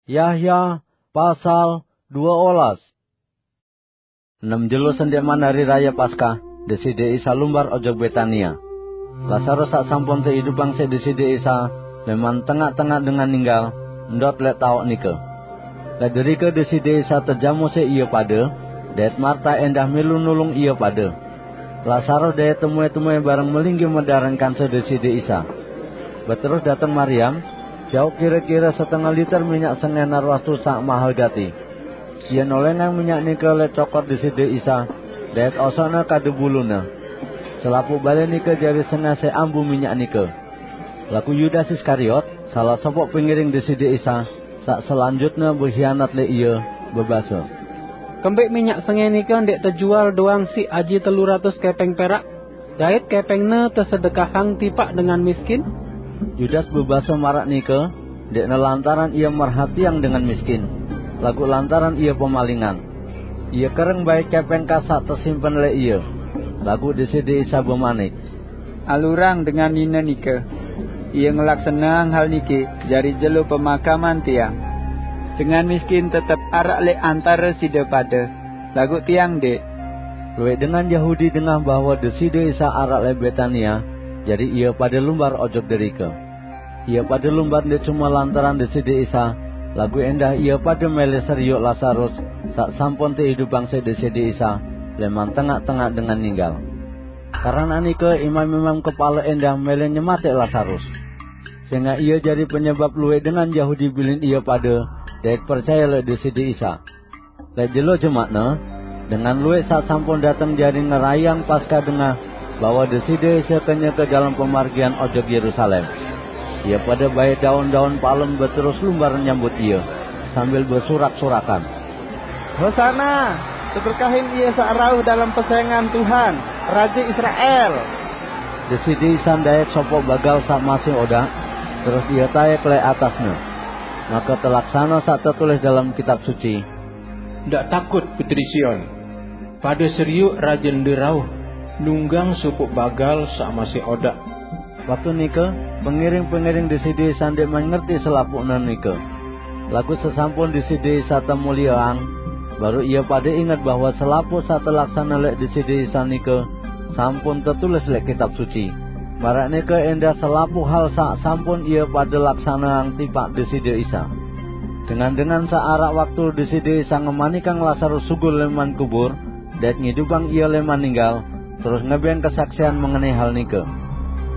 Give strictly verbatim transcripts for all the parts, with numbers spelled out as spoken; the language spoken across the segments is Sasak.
Yahya pasal dua olas. Enam jelo sendikman hari raya Paskah, Deside Isa lumbar ojok Betania. Lasarus sak sampun teidupang siq Deside Isa, leman tengaq-tengaq dengan ninggal, ndot leq taoq nike. Leq derike Deside Isa tejamo siq ie pade, dait Marta endah milu nulung ie pade. Lasarus dait temue-temue bareng melinggih medareng kanse Deside Isa. Beterus dateng Mariam, jauq kire-kire setengah liter minyak sengeh narwastu saq mahel gati. Ie nolengang minyak nike leq cokor Deside Isa, dait osoqne kadu bulune. Selapuq bale nike jari sengeh siq ambu minyak nike. Laguq Yudas Iskariot, salah sopoq pengiring Deside Isa, saq selanjutne behianat leq Ie, bebase, "Kembeq minyak sengeh nike ndeq tejual doang siq aji telu ratus kepeng perak, dait kepengne tesedekahang tipaq dengan miskin?" Yudas bebase maraq nike, ndeqne lantaran ie merhatiang dengan miskin, laguq lantaran ie pemalingan. Ie kereng bait kepeng kas saq tesimpen leq ie. Laguq Deside Isa bemanik, "Alurang dengan nine nike. Ie ngelaksaneang hal niki jari jelo pemakaman Tiang. Dengan miskin tetep araq leq antare side pade, laguq Tiang ndeq." Lueq dengan Yahudi dengah bahwe Deside Isa araq leq Betania, jari ie pade lumbar ojok derike. Ie pade lumbar ndeq cume lantaran Deside Isa, laguq endah ie pade mele serioq Lasarus, saq sampun teidupang siq Deside Isa leman tengaq-tengaq dengan ninggal. Keranaq nike, imam-imam kepale endah mele nyematiq Lasarus, sengaq ie jari penyebap lueq dengan Yahudi bilin ie pade dait percaye leq Deside Isa. Leq jelo Jumaqne, dengan lueq saq sampun dateng jari ngerayeang Paskah dengah bahwe Deside Isa kenyeke dalem pemargian ojok Yerusalem. Ie pade bait daun-daun palem beterus lumbar nyambut Ie, sambil besurak-surakan, "Hosana! Teberkahin Ie saq rauh dalem pesenggan Tuhan, Raje Israel!" Deside Isa ndait sopoq bagal saq masih odaq, terus Ie taek leq atasne. Make telaksane saq tetulis dalem Kitab Suci, "Ndaq takut, Putri Sion. Pade serioq, Rajende rauh, nunggang sopoq bagal saq masih odaq." Waktu nike, pengiring-pengiring Deside Isa ndeqman ngerti selapuqne nike. Laguq sesampun Deside Isa temulieang, baruq ie pade inget bahwe selapuq saq telaksane leq Deside Isa nike sampun tetulis leq Kitab Suci. Maraq nike endah selapuq hal saq sampun ie pade laksaneang tipaq Deside Isa. Dengan-dengan saq araq waktu Deside Isa ngemanikang Lasarus sugul leman kubur, dait ngidupang ie leman ninggal, terus ngebeng kesaksian mengenai hal nike.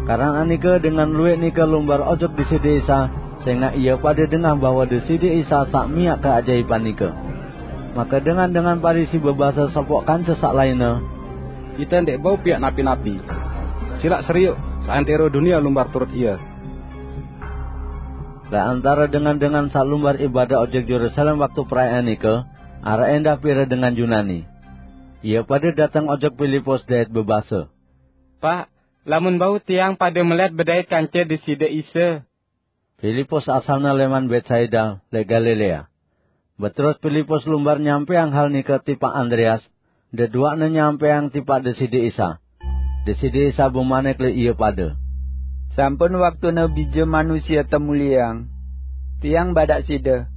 Keranaq nike, dengan lueq nike lumbar ojok Deside Isa, sengaq ie pade dengah bahwe Deside Isa saq miaq keajaipan nike. Make dengan-dengan Parisi bebase sopoq kance saq lainne, "Ite ndeq bau piaq napi-napi. Silaq serioq, seantero dunie lumbar turut Ie." Leq antare dengan-dengan saq lumbar ibadah ojok Yerusalem waktu perayaan nike, araq endah pire dengan Yunani. Ie pade dateng ojok Pilipus dait bebase, "Paq, lamun bau tiang pade melet bedait kance Deside Isa." Pilipus asalne leman Betsaida, leq Galilea. Beterus Pilipus lumbar nyampeang hal nike tipaq Andreas, deduaqne nyampeang tipaq Deside Isa. Deside Isa bemanik leq ie pade, "Sampun waktune Bije Manusie temulieang. Tiang badaq side,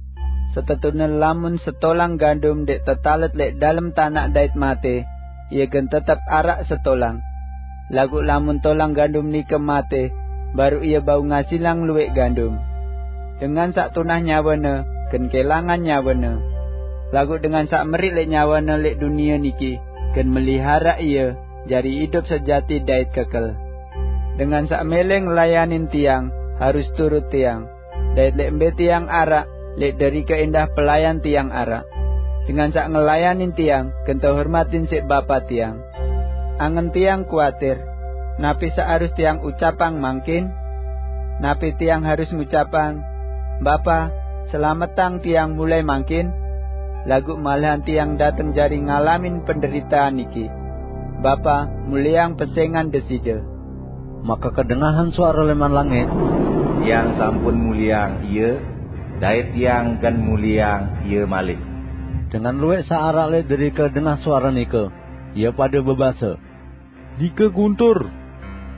setetune lamun setolang gandum ndeq tetalet leq dalem tanaq dait mate, ie gen tetep araq setolang. Laguq lamun tolang gandum nike mate, baruq ie bau ngasilang luwẽq gandum. Dengan saq tunah nyawane gen kelangan nyawane. Laguq dengan saq meriq leq nyawane leq dunie niki gen meliharaq ie jari idup sejati dait kekel. Dengan saq mele ngelayanin Tiang harus turut Tiang, dait leq mbe Tiang araq, leq derike endah pelayan Tiang araq. Dengan saq ngelayanin Tiang gen tehormatin siq Bapa Tiang. Angen Tiang kuatir, napi saq harus Tiang ucapang mangkin? Napi Tiang harus ngucapang, 'Bapa, selametang tiang mulai mangkin'? Laguq malahan Tiang dateng jari ngalamin penderitaan niki. Bapa, mulieang pesengan Deside." Make kedengahan suare leman langit, "Tiang sampun mulieang Ie, dait Tiang gen mulieang Ie malik." Dengan luwẽq saq araq leq derike dengah suare nike, ie pade bebase, "Nike guntur!"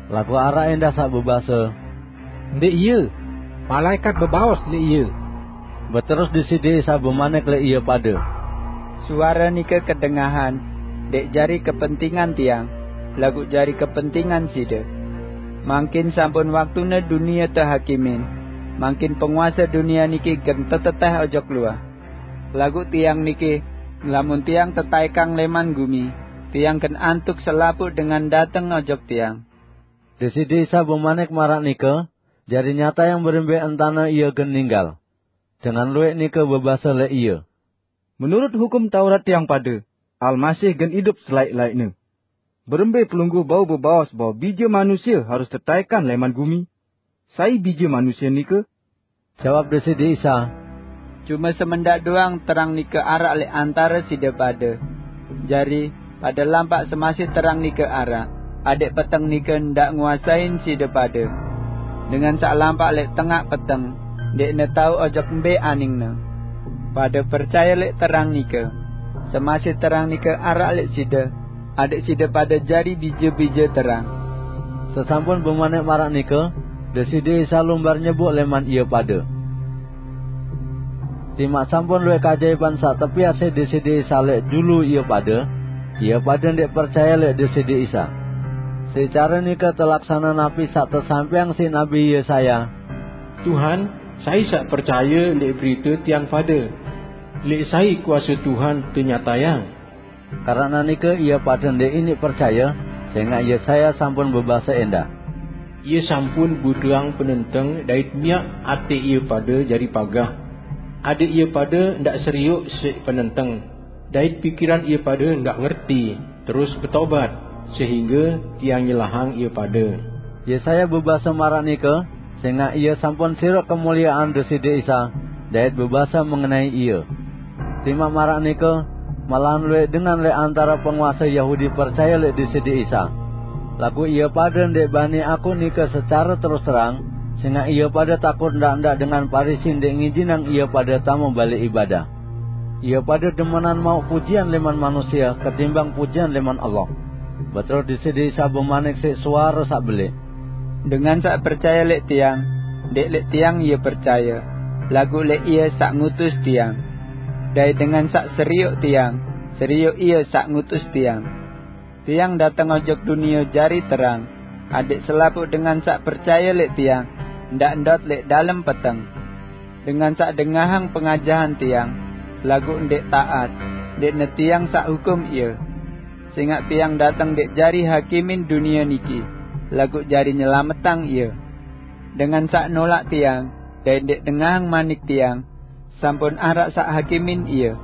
Laguq araq endah saq bebase, "Ndeq ie! Malaekat bebaos leq Ie!" Beterus Deside Isa bemanik lek ie pade, "Suara nike kedengahan, ndek jari kepentingan tiang, laguq jari kepentingan side. Mangkin sampun waktune dunie tehakimin, mangkin penguase dunie niki gen teteteh ojok luah. Laguq tiang niki, lamun tiang tetaikang leman gumi, tiang gen antuk selapuq dengan dateng ojok tiang." Deside Isa bemanik maraq nike, jari nyatayang berembe entane ie gen ninggal. Dengan lueq nike bebase lek ie, "Menurut Hukum Taurat tiang pade, Almasih gen idup selaeq-laeqne. Berembe Pelungguh bau bebaos bahwe Bije Manusie harus tetaekan leman gumi? Sai Bije Manusie nike?" Jawab Deside Isa, "Cume semendaq doang terang nike araq lek antare side pade. Jari, pade lampaq semasih terang nike araq, adeq peteng nike ndaq nguasain side pade. Dengan saq lampaq lek tengaq peteng, ndeqne tao ojok mbe aningne. Pade percaye lek terang nike. Semasih terang nike araq lek side, adeq side pade jari bije-bije terang." Sesampun bemanik maraq nike, Deside Isa lumbar nyebuk leman ie pade. Timaq sampun lueq kajaiban saq tepiase Deside Isa lek julu ie pade, ie pade ndeq percaye lek Deside Isa. Siq care nike telaksane napi saq tesampeang siq Nabi Yesaya, "Tuhan, sai saq percaye leq berite tiang pade? Leq sai kuase Tuhan tenyatayang?" Karena nike ie pade ndeq iniq percaye, sengaq Yesaya sampun bebase endah, "Ie sampun butuhang penenteng dait miaq ate ie pade jari pagah, adeq ie pade ndaq serioq siq penenteng, dait pikiran ie pade ndaq ngerti, terus betobat, sehingge tiang nyelahang ie pade." Yesaya bebase maraq nike, sengaq ie sampun siroq kemuliean Deside Isa, dait bebase mengenai ie. Timaq maraq nike, malahan lueq dengan leq antare penguase Yahudi percaye leq Deside Isa. Laguq ie pade ndeq bani akuq nike secare terus terang, sengaq ie pade takut ndaq-ndaq dengan Parisi ndeq ngijinang ie pade tame bale ibadah. Ie pade demenan mauq pujian leman manusie ketimbang pujian leman Allah. Beterus Deside Isa bemanik siq suare saq beleq, "Dengan saq percaye leq Tiang, ndeq leq Tiang ie percaye, laguq leq Ie saq ngutus Tiang. Dait dengan saq serioq Tiang, serioq Ie saq ngutus Tiang. Tiang dateng ojok dunie jari terang, adeq selapuq dengan saq percaye leq Tiang ndaq ndot leq dalem peteng. Dengan saq dengahang pengajahan Tiang, laguq ndeq taat, ndeqne Tiang saq hukum ie. Sengaq Tiang dateng ndeq jari hakimin dunie niki, laguq jari nyelametang ie. Dengan saq nolaq Tiang, dait ndeq dengahang manik Tiang, sampun araq saq hakimin ie.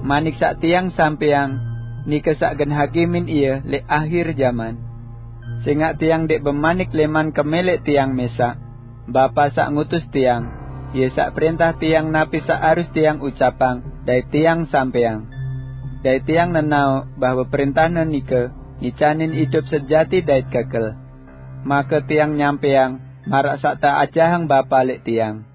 Manik saq Tiang sampeang, nike saq gen hakimin ie leq ahir jaman. Sengaq Tiang ndeq bemanik leman kemeleq Tiang mesaq. Bapa saq ngutus Tiang, Ie saq prentah Tiang napi saq arus Tiang ucapang dait Tiang sampeang. Dait Tiang nenaoq bahwe prentahne nike ngicanin idup sejati dait kekel. Make Tiang nyampeang maraq saq teajahang Bapa leq Tiang."